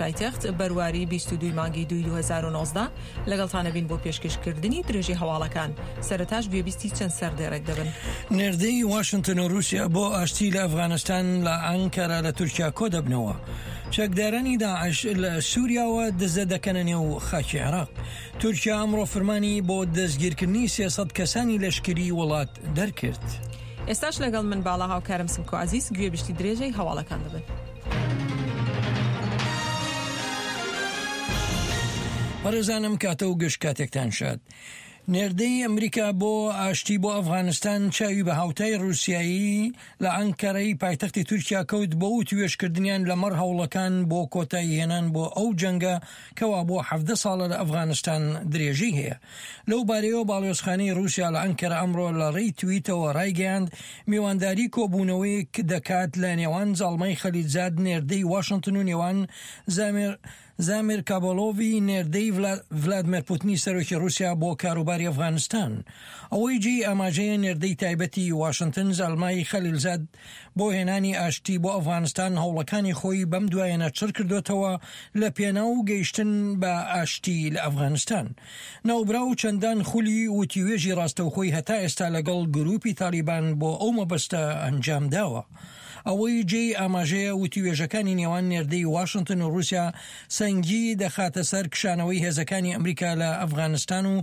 پایتەخت، بەرواری 22 ی مانگی دووی 2019، لەگەڵتانەبین بۆ پێشکەشکردنی درێژەی هەواڵەکان، سەرەتاش گوێبیستی چەند سەردێڕێک دەبن. نێردەی واشنتن و رووسیا بۆ ئاشتی لە ئەفغانستان لە ئەنکەرە لە تورکیا کۆدەبنەوە. چەکدارانی داعش لە سووریاوە دزە دەکەنە نێو خاکی عێراق. تورکیا ئەمڕۆ فرمانی بۆ دەستگیرکردنی 300 کەسانی لەشکری وڵات دەرکرد. ئێستاش لەگەڵ من باڵا هاوکارم سمکۆ عەزیز گوێبیستی درێژەی هەواڵەکان دەبن. بەڕێزانم کاتە و گشت کاتێکتان شاد. نێردەی ئەمریکا بۆ ئاشتی بۆ ئەفغانستان چاوی بە هاوتای ڕووسیایی لە ئەنکەرەی پایتەختی تورکیا کەوت بۆ وتوێژکردنیان لەمەڕ هەوڵەکان بۆ کۆتایی هێنان بۆ ئەو جەنگە کەوا بۆ حەڤدە ساڵە لە ئەفغانستان درێژەی هەیە. لەو بارەیەوە باڵیۆزخانەی ڕووسیا لە ئەنکەرە ئەمڕۆ لە ڕێی تویتەوە ڕایگەیاند، میوانداری کۆبوونەوەیەک دەکات لە نێوان زاڵمای خەلیلزاد نێردەی واشنتن و نێوان زامیر زامیر کابۆلۆڤی نێردەی ڤلادمێر پوتنی سەرۆکی ڕووسیا بۆ کاروباری ئەفغانستان. ئەوەی جێی ئاماژەیە نێردەی تایبەتی واشنتن زالمای خەلیلزاد بۆ هێنانی ئاشتی بۆ ئەفغانستان هەوڵەکانی خۆی بەم دوایەنە چڕ کردۆتەوە لە پێناو گەیشتن بە ئاشتی لە ئەفغانستان. ناوبراو چەندان خولی وتوێژی ڕاستەوخۆی هەتا ئێستا لەگەڵ گروپی تالیبان بۆ ئەو مەبەستە ئەنجام داوە. ئەوەی جێی ئاماژەیە وتوێژەکانی نێوان نێردەی واشنتن و ڕووسیا سەنگی دەخاتە سەر کشانەوەی هێزەکانی ئەمریکا لە ئەفغانستان و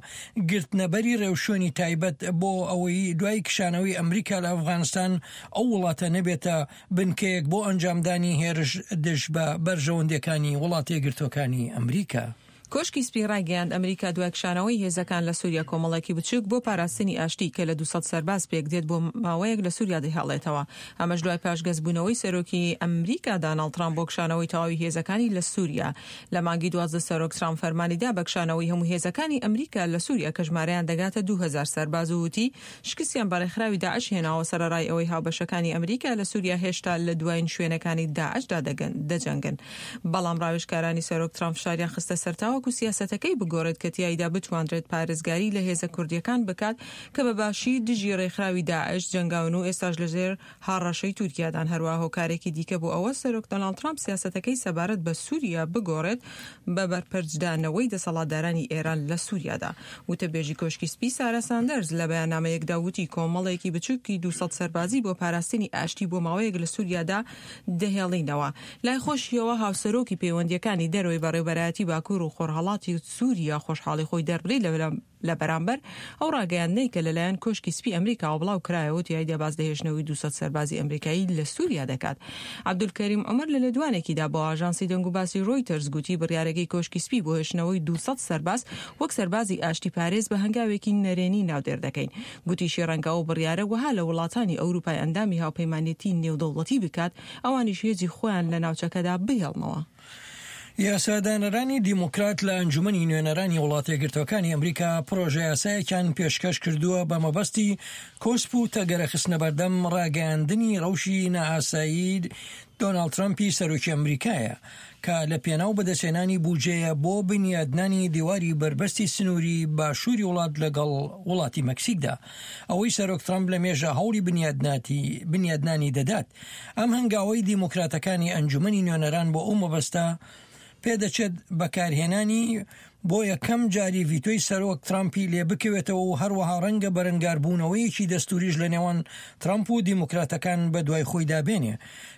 گرتنەبەری ڕێوشوێنی تایبەت بۆ ئەوەی دوای کشانەوەی ئەمریکا لە ئەفغانستان ئەو وڵاتە نەبێتە بنکەیەک بۆ ئەنجامدانی هێرش دژ بە بەرژەوەندیەکانی وڵاتەیەکگرتووەکانی ئەمریکا. کۆشکی سپی ڕایگەیاند، ئەمریکا دوای کشانەوەی هێزەکان لە سوریا کۆمەڵێکی بچوک بۆ پاراستنی ئاشتی کە لە 200 سەرباز پێکدێت بۆ ماوەیەک لە سوریا دەهێڵێتەوە، ئەمەش دوای پاشگەزبوونەوەی سەرۆکی ئەمریکا داناڵد ترامپ بۆ کشانەوەی تەواوی هێزەکانی لە سوریا. لە مانگی 12 سەرۆک ترامپ فەرمانی دا بە کشانەوەی هەموو هێزەکانی ئەمریکا لە سوریا کە ژمارەیان دەگاتە 2000 سەرباز و وتی شکستیان بە ڕێکخراوی داعش هێناوە سەرەڕای ئەوەی هاوبەشەکانی ئەمریکا لە سوریا هێشتا لە دوایین شوێنەکانی داعشدا دەجەنگن. بەڵام ڕاوێژکارانی سەرۆک ترامپ فشاریان خستە سەر تاوەکو سیاسەتەکەی بگۆڕێت کە تیایدا بتوانرێت پارێزگاری لە هێزە کوردییەکان بکات کە بە باشی دژی ڕێکخراوی داعش جەنگاون و ئێستاش لەژێر هەڕەشەی تورکیادان. هەروەها هۆکارێکی دیکە بۆ ئەوە سەرۆک دۆناڵد ترامپ سیاسەتەکەی سەبارەت بە سوریا بگۆڕێت بە بەرپەرچدانەوەی دەسەڵاتدارانی ئێران لە سوریادا. وتەبێژی کۆشکی سپی سارا ساندەرز لە بەیاننامەیەکدا وتی کۆمەڵێکی بچوکی 200 سەربازی بۆ پاراستنی ئاشتی بۆ ماوەیەک لە سوریادا دەهێڵینەوە. لای خۆشیەوە هاوسەرۆکی پەیوەندییەکانی دەرەوەی بەڕێوبەرایەتی باکور و خۆرهەڵاتی سوریا خۆشحاڵی خۆی دەربڕی لە لە بەرامبەر ئەو ڕاگەیاندنەی کە لەلایەن کۆشکی سپی ئەمریکاوە بڵاو کرایەوە تیایدا باس لە هێشتنەوەی 200 سەربازی ئەمریکایی لە سوریا دەکات. عەبدولکەریم عومەر لە لێدوانێکیدا بۆ ئاژانسی دەنگوباسی ڕۆیتەرز گوتی بڕیارەکەی کۆشکی سپی بۆ هێشتنەوەی 200 سەرباز وەک سەربازی ئاشتیپارێز بە هەنگاوێکی نەرێنی ناودێر دەکەین. گوتیشی ڕەنگە ئەو بڕیارە وەها لە وڵاتانی ئەوروپای ئەندامی هاوپەیمانێتی نێودەوڵەتی بکات ئەوانیش هێزی خۆیان لە ناوچەکەدا بهێڵنەوە. یاسادانەرانی دیموکرات لە ئەنجومەنی نوێنەرانی وڵاتەیەکگرتووەکانی ئەمریکا پڕۆژەیاسایەکیان پێشکەش کردووە بە مەبەستی کۆسپ و تەگەرە خستنەبەردەم ڕاگەیاندنی ڕەوشی نائاسایی دۆناڵد ترەمپی سەرۆکی ئەمریکایە کە لە پێناو بەدەستهێنانی بوجەیە بۆ بنیادنانی دیواری بەربەستی سنووری باشووری وڵات لەگەڵ وڵاتی مەکسیکدا ئەوەی سەرۆک ترەمپ لە مێژە هەوڵی بنیادنانی دەدات. ئەم هەنگاوەی دیموکراتەکانی ئەنجومەنی نوێنەران بۆ ئەو مەبەستە پێدەچێت بەکارهێنانی بۆ یەکەم جاری ڤیتۆی سەرۆک ترامپی لێ بکەوێتەوە و هەروەها ڕەنگە بەرەنگاربوونەوەیەکی دەستوریش لە نێوان ترامپ و دیموکراتەکان بەدوای خۆیدا بێنێ.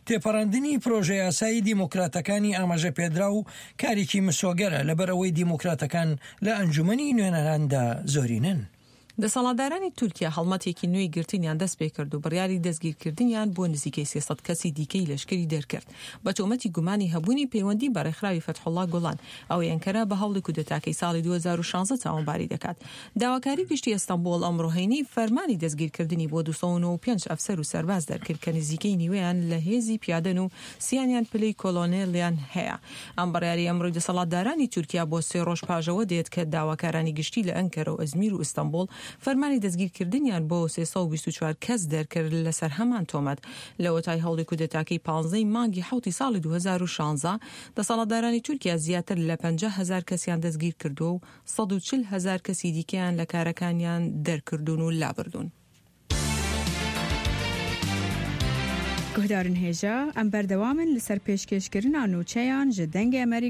تێپەڕاندنی پرۆژەیاسای دیموکراتەکانی ئاماژەپێدراو کارێکی مسۆگەرە لەبەرئەوەی دیموکراتەکان لە ئەنجومەنی نوێنەراندا زۆرینەن. دەسەڵاتدارانی تورکیا هەڵمەتێکی نوێی گرتنیان دەستپێکرد و بڕیاری دەستگیرکردنیان بۆ نزیکەی 300 کەسی دیکەی لەشکری دەرکرد بە تۆمەتی گومانی هەبوونی پەیوەندی بە ڕێکخراوی فەتحوڵا گوڵان ئەوەی ئەنکەرە بە هەوڵی کودەتاکەی ساڵی 2016 تاوانباری دەکات. داواکاری گشتی ئەستەنبوڵ ئەمڕۆ هەینی فەرمانی دەستگیرکردنی بۆ 295 ئەفسەر و سەرباز دەرکرد کە نزیکەی نیوەیان لە هێزی پیادەن و سیانیان پلەی کۆلۆنێلیان هەیە. ئەم بڕیارەی ئەمڕۆی دەسەڵاتدارانی تورکیا بۆ سێ ڕۆژ پاش ئەوە دێت کە داواکارانی گشتی لە ئەنکەرە و ئەزمیر و ئیستەنبوڵ فەرمانی دەستگیرکردنیان بۆ 324 کەس دەرکرد لەسەر هەمان تۆمەت. لەوەتای هەوڵی کودەتاکەی پانزە ی مانگی حەوتی ساڵی 2016 دەسەڵاتدارانی تورکیا زیاتر لە 50 هەزار کەسیان دەستگیرکردووە و 140 هەزار کەسی دیکەیان لە کارەکانیان دەرکردوون و لابردوون. Guhdarên hêja, em berdewam in li ser pêşkêşkirina nûçeyan ji Dengê Amerîka.